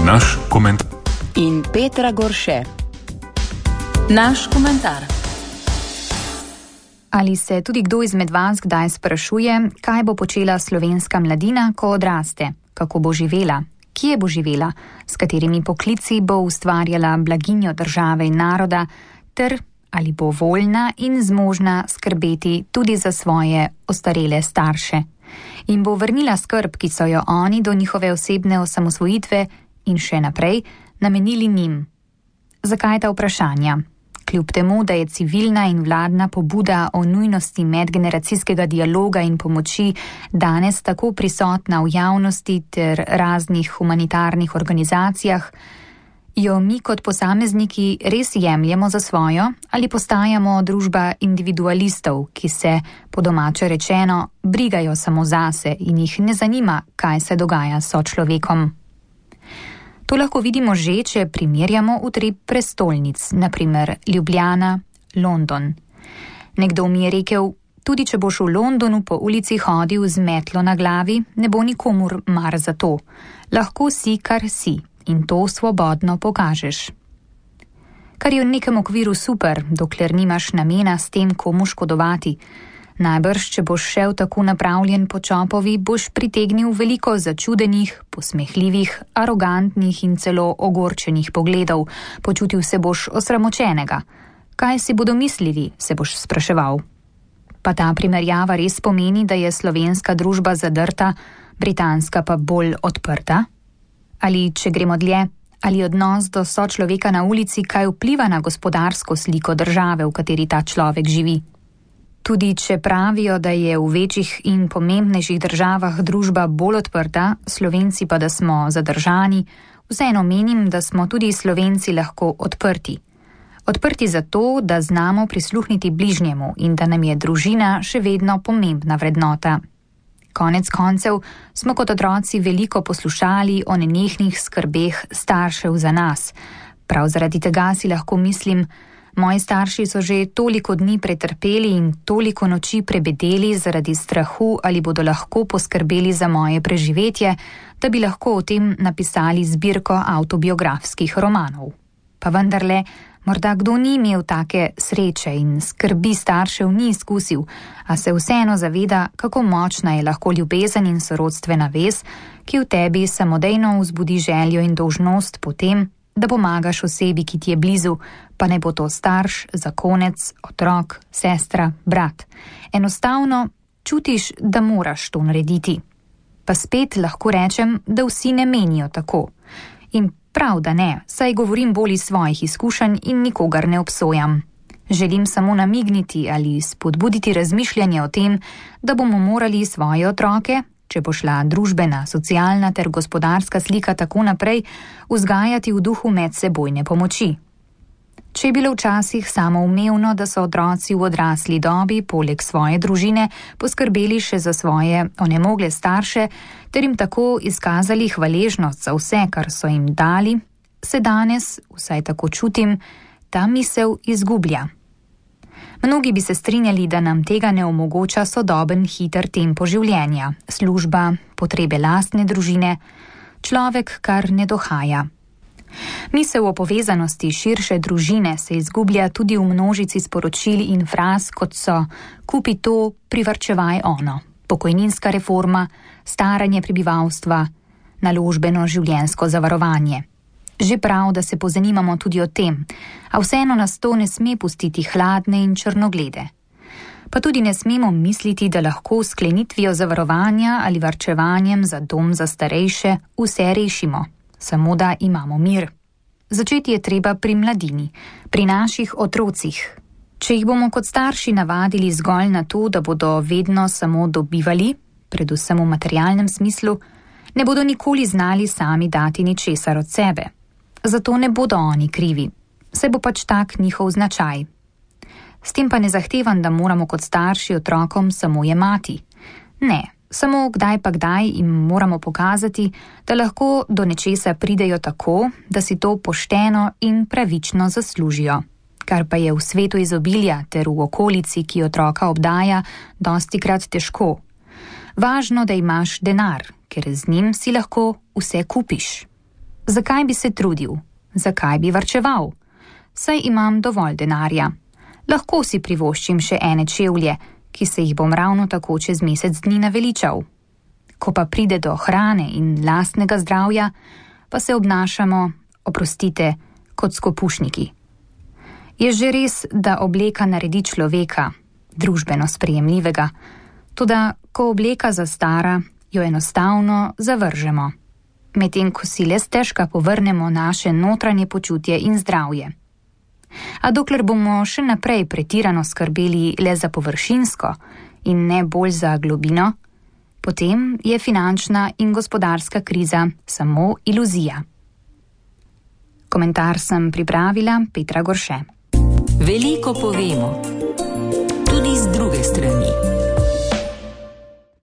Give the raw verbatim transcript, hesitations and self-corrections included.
Naš komentar. In Petra Gorše. Naš komentar. Ali se tudi kdo izmed vas kdaj sprašuje, kaj bo počela slovenska mladina, ko odraste, kako bo živela, kje bo živela, s katerimi poklici bo ustvarjala blaginjo države in naroda, ter ali bo voljna in zmožna skrbeti tudi za svoje ostarele starše. In bo vrnila skrb, ki so jo oni do njihove osebne osamosvojitve in še naprej namenili njim. Zakaj ta vprašanja? Kljub temu, da je civilna in vladna pobuda o nujnosti medgeneracijskega dialoga in pomoči danes tako prisotna v javnosti ter raznih humanitarnih organizacijah, jo mi kot posamezniki res jemljemo za svojo ali postajamo družba individualistov, ki se, po domače rečeno, brigajo samo zase in jih ne zanima, kaj se dogaja s sočlovekom. To lahko vidimo že, če primerjamo utrip prestolnic, na primer Ljubljana, London. Nekdo mi je rekel, tudi če boš v Londonu po ulici hodil z metlo na glavi, ne bo nikomur mar za to. Lahko si, kar si, in to svobodno pokažeš. Kar je v nekem okviru super, dokler nimaš namena s tem komu škodovati. Najbrž, če boš šel tako napravljen po čopovi, boš pritegnil veliko začudenih, posmehljivih, arogantnih in celo ogorčenih pogledov, počutil se boš osramočenega. Kaj si bodo mislili, se boš spraševal. Pa ta primerjava res pomeni, da je slovenska družba zadrta, britanska pa bolj odprta? Ali, če gremo dlje, ali odnos do sočloveka na ulici kaj vpliva na gospodarsko sliko države, v kateri ta človek živi? Tudi če pravijo, da je v večjih in pomembnejših državah družba bolj odprta, Slovenci pa da smo zadržani, vseeno menim, da smo tudi Slovenci lahko odprti. Odprti zato, da znamo prisluhniti bližnjemu in da nam je družina še vedno pomembna vrednota. Konec koncev smo kot otroci veliko poslušali o nenehnih skrbeh staršev za nas. Prav zaradi tega si lahko mislim, moji starši so že toliko dni pretrpeli in toliko noči prebedeli zaradi strahu, ali bodo lahko poskrbeli za moje preživetje, da bi lahko o tem napisali zbirko avtobiografskih romanov. Pa vendarle, morda kdo ni imel take sreče in skrbi staršev ni izkusil, a se vseeno zaveda, kako močna je lahko ljubezen in sorodstvena vez, ki v tebi samodejno vzbudi željo in dolžnost potem, da pomagaš osebi, ki ti je blizu, pa ne bo to starš, zakonec, otrok, sestra, brat. Enostavno čutiš, da moraš to narediti. Pa spet lahko rečem, da vsi ne menijo tako. In prav, da ne, saj govorim bolj iz svojih izkušenj in nikogar ne obsojam. Želim samo namigniti ali spodbuditi razmišljanje o tem, da bomo morali svoje otroke, če bo šla družbena, socialna ter gospodarska slika tako naprej, vzgajati v duhu medsebojne pomoči. Če je bilo včasih samoumevno, da so otroci v odrasli dobi poleg svoje družine poskrbeli še za svoje onemogle starše, ter jim tako izkazali hvaležnost za vse, kar so jim dali, se danes, vsaj tako čutim, ta misel izgublja. Mnogi bi se strinjali, da nam tega ne omogoča sodoben hiter tempo življenja, služba, potrebe lastne družine, človek kar ne dohaja. Misel o povezanosti širše družine se izgublja tudi v množici sporočil in fraz, kot so kupi to, privarčevaj ono, pokojninska reforma, staranje prebivalstva, naložbeno življenjsko zavarovanje. Že prav, da se pozanimamo tudi o tem, a vseeno nas to ne sme pustiti hladne in črnoglede. Pa tudi ne smemo misliti, da lahko sklenitvijo zavarovanja ali varčevanjem za dom za starejše vse rešimo, samo da imamo mir. Začeti je treba pri mladini, pri naših otrocih. Če jih bomo kot starši navadili zgolj na to, da bodo vedno samo dobivali, predvsem v materialnem smislu, ne bodo nikoli znali sami dati ničesar od sebe. Zato ne bodo oni krivi, saj bo pač tak njihov značaj. S tem pa ne zahtevam, da moramo kot starši otrokom samo jemati. Ne, samo kdaj pa kdaj jim moramo pokazati, da lahko do nečesa pridejo tako, da si to pošteno in pravično zaslužijo. Kar pa je v svetu izobilja ter v okolici, ki otroka obdaja, dostikrat težko. Važno, da imaš denar, ker z njim si lahko vse kupiš. Zakaj bi se trudil? Zakaj bi varčeval? Saj imam dovolj denarja. Lahko si privoščim še ene čevlje, ki se jih bom ravno tako čez mesec dni naveličal. Ko pa pride do hrane in lastnega zdravja, pa se obnašamo, oprostite, kot skopušniki. Je že res, da obleka naredi človeka, družbeno sprejemljivega, toda ko obleka zastara, jo enostavno zavržemo, medtem ko si le stežka povrnemo naše notranje počutje in zdravje. A dokler bomo še naprej pretirano skrbeli le za površinsko in ne bolj za globino, potem je finančna in gospodarska kriza samo iluzija. Komentar sem pripravila Petra Gorše. Veliko povemo, tudi z druge strani.